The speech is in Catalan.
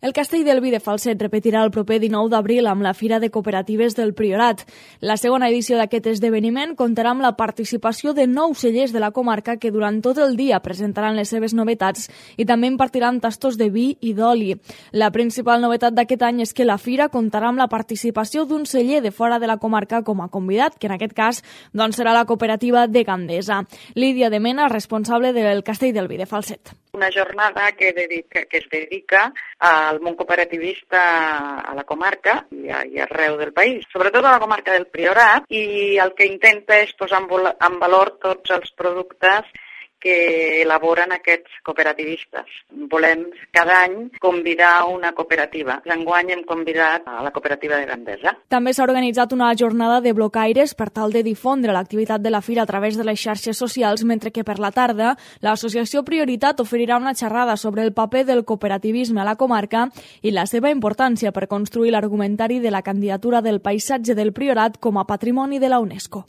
El Castell del Vi de Falset repetirà el proper 19 d'abril amb la Fira de Cooperatives del Priorat. La segona edició d'aquest esdeveniment comptarà amb la participació de 9 cellers de la comarca que durant tot el dia presentaran les seves novetats i també impartiran tastos de vi i d'oli. La principal novetat d'aquest any és que la fira comptarà amb la participació d'un celler de fora de la comarca com a convidat, que en aquest cas serà la cooperativa de Gandesa. Lídia de Mena, responsable del Castell del Vi de Falset. Una jornada que es dedica al món cooperativista a la comarca i arreu del país, sobretot a la comarca del Priorat, i el que intenta és posar en valor tots els productes que elaboren aquests cooperativistes. Volem cada any convidar una cooperativa. Enguany hem convidat a la cooperativa de Gandesa. També s'ha organitzat una jornada de blocaires per tal de difondre l'activitat de la fira a través de les xarxes socials, mentre que per la tarda l'associació Prioritat oferirà una xerrada sobre el paper del cooperativisme a la comarca i la seva importància per construir l'argumentari de la candidatura del paisatge del Priorat com a patrimoni de la UNESCO.